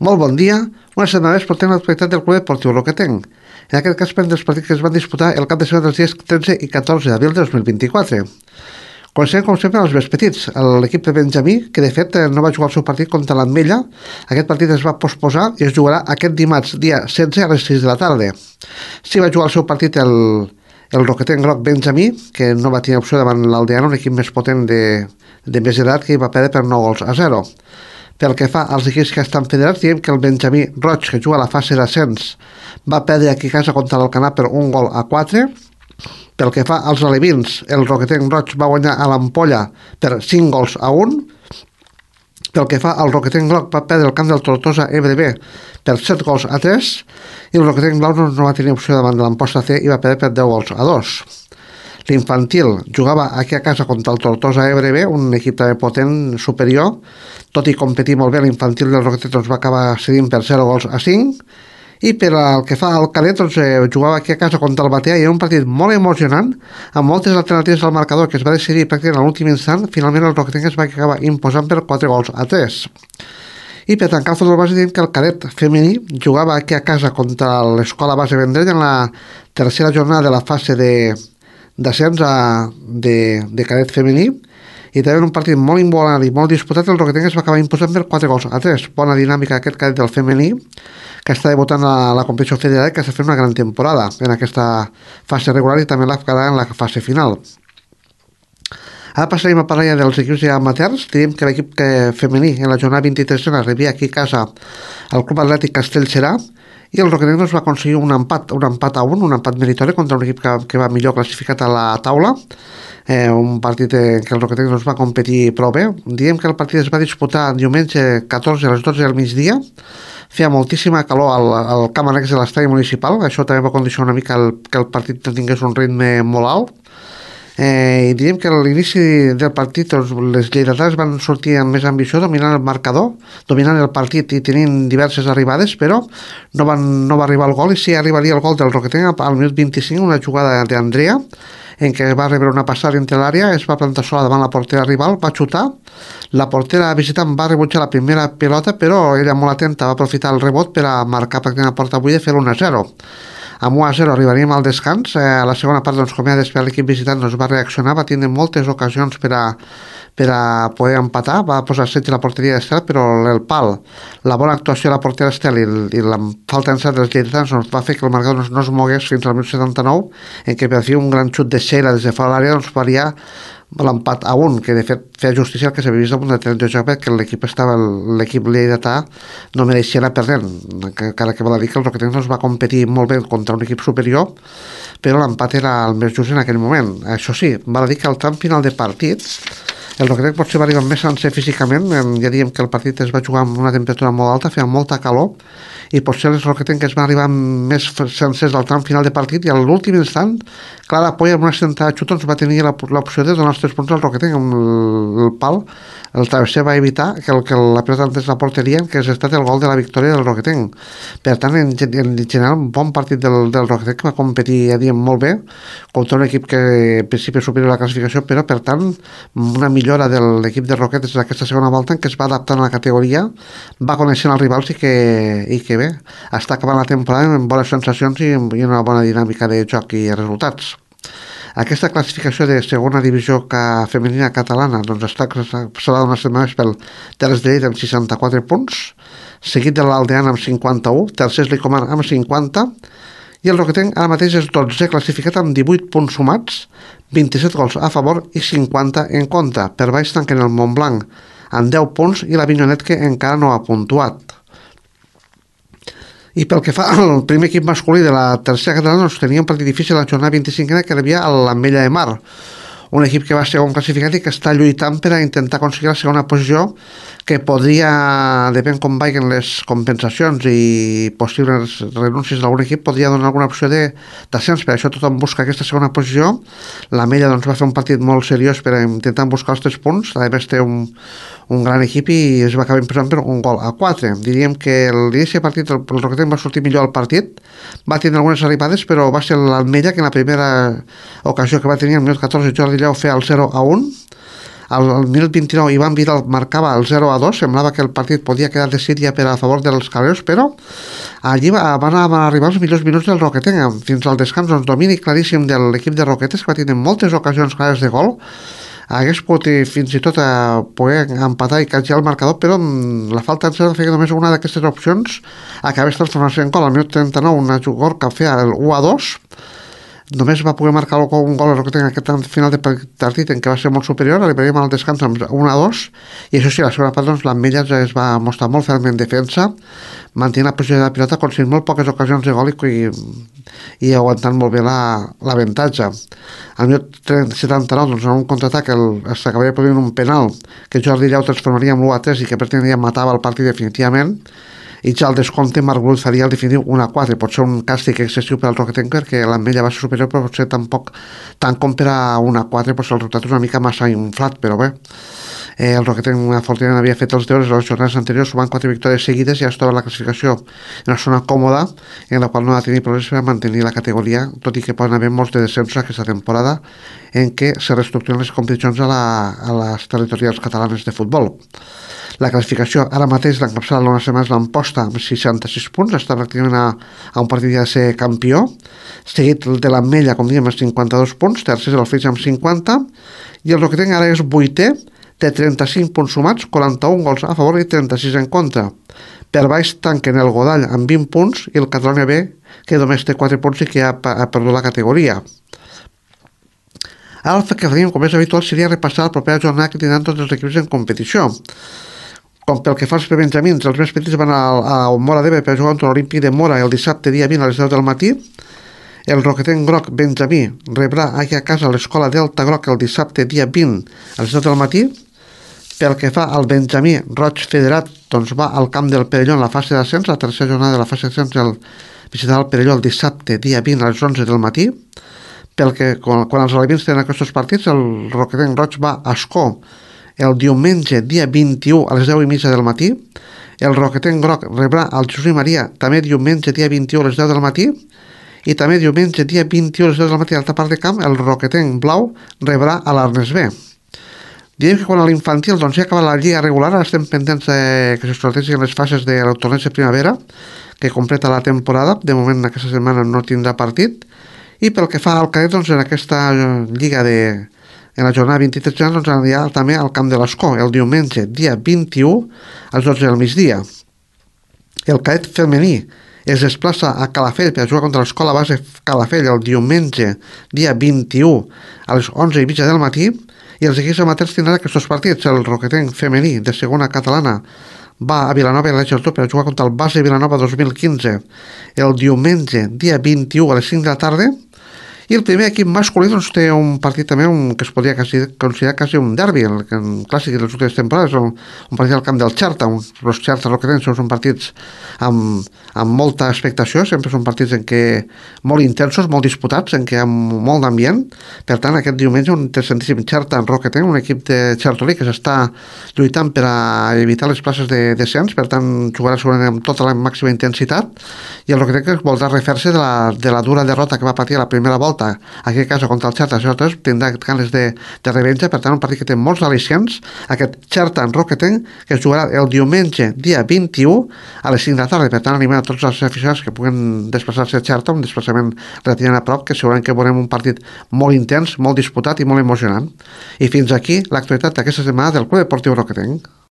Molt bon dia. Una setmana més portem l'actualitat del Club Esportiu Roquetenc. En aquest cas prenen dels partits que es van disputar el cap de setmana dels dies 13 i 14 d'abril de 2024. Comencem, com sempre, els més petits. L'equip de Benjamí, que de fet no va jugar el seu partit contra l'Ametlla. Aquest partit es va posposar i es jugarà aquest dimarts, dia 16 a les 6 de la tarda. Sí va jugar el seu partit el Roquetenc Groc Benjamí, que no va tenir opció davant l'Aldeana, un equip més potent de més edat, que hi va perdre per 9-0. Pel que fa als equips que estan federats, diem que el Benjamí Roig, que juga a la fase d'ascens, va perdre aquí a casa contra l'Alcanar per 1-4. Pel que fa als alevins, el Roquetenc Roig va guanyar a l'Ampolla per 5-1. Pel que fa al Roquetenc Groc, va perdre el camp del Tortosa EBB per 7-3, i el Roquetenc Blau no va tenir opció davant de l'Amposta C i va perdre per 10-2. L'infantil jugava aquí a casa contra el Tortosa EBB, un equip també potent, superior. Tot i competir molt bé, l'infantil del Roquetenc va acabar cedint per 0-5. I per al que fa al cadet, jugava aquí a casa contra el Batea i era un partit molt emocionant, amb moltes alternatives al marcador, que es va decidir pràcticament a l'últim instant. Finalment el Roquetenc es va acabar imposant per 4-3. I per tancar el futbol base, diem que el cadet femení jugava aquí a casa contra l'Escola Base Vendrell en la tercera jornada de la fase d'ascens de cadet femení, i també un partit molt igualat i molt disputat. El Roquetenc es va acabar imposant per 4-3. Bona dinàmica aquest cadet del femení, que està debutant a la competició federal, que està fent una gran temporada en aquesta fase regular i també la farà en la fase final. Ara passarem a parlar ja dels equips amateurs. Direm que l'equip femení en la jornada 23 rebia aquí a casa el Club Atlètic Castellserà, i el Roquetenc va aconseguir un empat a 1, un empat meritori contra un equip que va millor classificat a la taula. Un partit que el Roquetenc va competir prou bé. Diem que el partit es va disputar diumenge 14 a les 12 del migdia. Feia moltíssima calor al camp annex de l'estadi municipal. Això també va condicionar una mica que el partit tingués un ritme molt alt. I diríem que a l'inici del partit les lleidatans van sortir amb més ambició, dominant el marcador, dominant el partit i tenint diverses arribades, però no va arribar el gol. I sí arribaria el gol del Roquetenc al minut 25, una jugada d'Andrea en què va rebre una passada entre l'àrea, es va plantar sola davant la portera rival, va xutar, la portera visitant va rebutjar la primera pilota, però ella molt atenta va aprofitar el rebot per a marcar pràcticament la porta buida i fer 1-0. Amb 1-0 arribaríem al descans. A la segona part, com ja després l'equip visitant va reaccionar, va tindre moltes ocasions per a poder empatar, va posar setge a la porteria d'Estel, però el pal, la bona actuació de la portera Estel i la falta d'encert dels lleidatans va fer que el marcador no es mogués fins al minut 79, en què per fi un gran xut de Sheila des de fora l'àrea faria l'empat a 1, que de fet feia justícia al que s'havia vist damunt de 30 de joc, perquè l'equip lleidatà no mereixia anar perdent, encara que val a dir que el Roquetenc va competir molt bé contra un equip superior, però l'empat era el més just en aquell moment. Això sí, val a dir que al tram final de partit el Roquetenc potser va arribar més sencer físicament. Ja diem que el partit es va jugar amb una temperatura molt alta, feia molta calor, i potser els Roquetenc es van arribar més sencers al tram final de partit, i a l'últim instant Clara Polla amb una sentada de xut va tenir l'opció de donar els 3 punts al Roquetenc amb el pal. El travesser va evitar que la pilota entrés a la porteria, que és estat el gol de la victòria del Roquetenc. Per tant, en general, un bon partit del Roquetenc, que va competir, ja diem, molt bé contra un equip que en principi és superior a la classificació, però per tant una millora de l'equip de Roquetes d'aquesta segona volta, en què es va adaptant a la categoria, va coneixent els rivals i que bé, està acabant la temporada amb bones sensacions i una bona dinàmica de joc i resultats. Aquesta classificació de segona divisió femenina catalana serà d'unes setmanes pel Terres de Lleida amb 64 punts, seguit de l'Aldeana amb 51, tercer és l'Icoman amb 50, i el Roquetenc ara mateix és 12 classificat amb 18 punts sumats, 27 gols a favor i 50 en contra. Per baix tanquen el Montblanc amb 10 punts i la Vinyonet, que encara no ha puntuat. I pel que fa al primer equip masculí de la tercera catalana, tenia un partit difícil a la jornada 25, que rebia a l'Ametlla de Mar, un equip que va segon classificat i que està lluitant per a intentar aconseguir la segona posició, que podria, depèn com vagin les compensacions i possibles renúncies d'algun equip, podria donar alguna opció d'ascens. Per això tothom busca aquesta segona posició. L'Ametlla va fer un partit molt seriós per a intentar buscar els 3 punts. A més té un gran equip i es va acabar imposant per 1-4. Diríem que l'inici de partit el Roquetenc va sortir millor al partit, va tenir algunes arribades, però va ser l'Ametlla que en la primera ocasió que va tenir al minut 14 Jordi Lleó feia el 0-1. Al minut 29 Ivan Vidal marcava el 0-2, semblava que el partit podia quedar decidit ja per a favor dels caleros, però allí van arribar els millors minuts del Roquetenc, fins al descans, doncs, domini claríssim de l'equip de Roquetes, que va tenir moltes ocasions clares de gol, hagués pogut fins i tot poder empatar i catjar el marcador, però la falta d'encert feia que només una d'aquestes opcions acabés transformant-se en gol. Al minut 39 una jugador que feia el 1-2, només va poder marcar un gol que en aquest final de partit en què va ser molt superior, arribaríem al descans amb 1-2, i això sí, la segona part doncs, l'Ametlla es va mostrar molt ferm en defensa, mantenint la posició de la pilota, aconseguint molt poques ocasions de gol i aguantant molt bé l'avantatge. Al minut 79, doncs, en un contraatac s'acabaria produint un penal que Jordi Llau transformaria en l'1-3 i que pretenia matava el partit definitivament, i ja al descompte Marc Brull faria el definitiu 1-4, pot ser un càstig excessiu per al Roquetenc perquè l'Ametlla va ser superior, però potser tampoc tant com per a 1-4, doncs el resultat és una mica massa inflat, però bé, el Roquetenc afortunadament havia fet els deures les jornades anteriors, sumant 4 victòries seguides i ja es troba la classificació en una zona còmoda en la qual no ha de tenir problemes per mantenir la categoria, tot i que poden haver molts de descensos aquesta temporada en què se reestructuren les competicions a les territorials catalanes de futbol. La classificació ara mateix l'encapçala l'Ona Setmanes l'Amposta amb 66 punts, està pràcticament a un partit de ser campió, seguit de l'Ametlla, com diem, amb 52 punts, tercer el Flix amb 50, i el Roquetenc ara és vuitè, té 35 punts sumats, 41 gols a favor i 36 en contra. Per baix tanquen el Godall amb 20 punts i el Catalunya B, que només té 4 punts i que ha perdut la categoria. Ara el que faríem, com és habitual, seria repassar la propera jornada que tindran tots els equips en competició. Com pel que fa als prebenjamins, els més petits van a Móra d'Ebre per jugar contra l'Olímpic de Móra el dissabte dia 20 a les 10 del matí. El Roquetenc Groc Benjamí rebrà aquí a casa l'escola Delta Groc el dissabte dia 20 a les 10 del matí. Pel que fa al Benjamí Roig Federat, doncs va al camp del Perelló en la fase d'ascens, la tercera jornada de la fase d'ascens visitarà el Perelló el dissabte dia 20 a les 11 del matí. Pel que quan els alevins tenen aquests partits, el Roquetenc Roig va a Ascó el diumenge dia 21 a les 10:30 del matí. El Roquetenc Groc rebrà el Jesús i Maria també diumenge dia 21 a les 10 del matí, i també diumenge dia 21 a les 10 del matí a l'altra part de camp el Roquetenc Blau rebrà a l'Arnes B. Diem que quan a l'infantil doncs, ja acaba la lliga regular, ara estem pendents que se sortegin les fases de la torneig de primavera que completa la temporada. De moment aquesta setmana no tindrà partit, i pel que fa al cadet, doncs, en aquesta lliga en la jornada 23 doncs anirà també al camp de l'Escó el diumenge dia 21 a les 12 del migdia. El cadet femení es desplaça a Calafell per jugar contra l'Escola Base Calafell el diumenge dia 21 a les 11:30 del matí, i els equips amateurs tindran aquests partits. El Roquetenc femení de segona catalana va a Vilanova i la Geltrú per jugar contra el Base Vilanova 2015 el diumenge dia 21 a les 5 de la tarda. I el primer equip masculí doncs, té un partit també que es podria considerar quasi un derbi, el clàssic de les últimes temporades, un partit al camp del Xerta. Els Xerta Roquetenc són partits amb molta expectació, sempre són partits en què molt intensos, molt disputats, en què hi ha molt d'ambient. Per tant, aquest diumenge un interessantíssim Xerta Roquetenc, un equip de Xertolí que s'està lluitant per a evitar les places de descens, per tant jugarà segurament amb tota la màxima intensitat, i el Roquetenc voldrà refer-se de la dura derrota que va patir a la primera volta aquí a casa contra el Xerta 0-3, tindrà ganes de revenja. Per tant, un partit que té molts al·licients, aquest Xerta en Roquetenc, que es jugarà el diumenge dia 21 a les 5 de la tarda. Per tant, animem a tots els aficionats que puguen desplaçar-se a Xerta, un desplaçament relativament a prop, que segurament que veurem un partit molt intens, molt disputat i molt emocionant. I fins aquí l'actualitat d'aquesta setmana del Club Deportiu Roquetenc.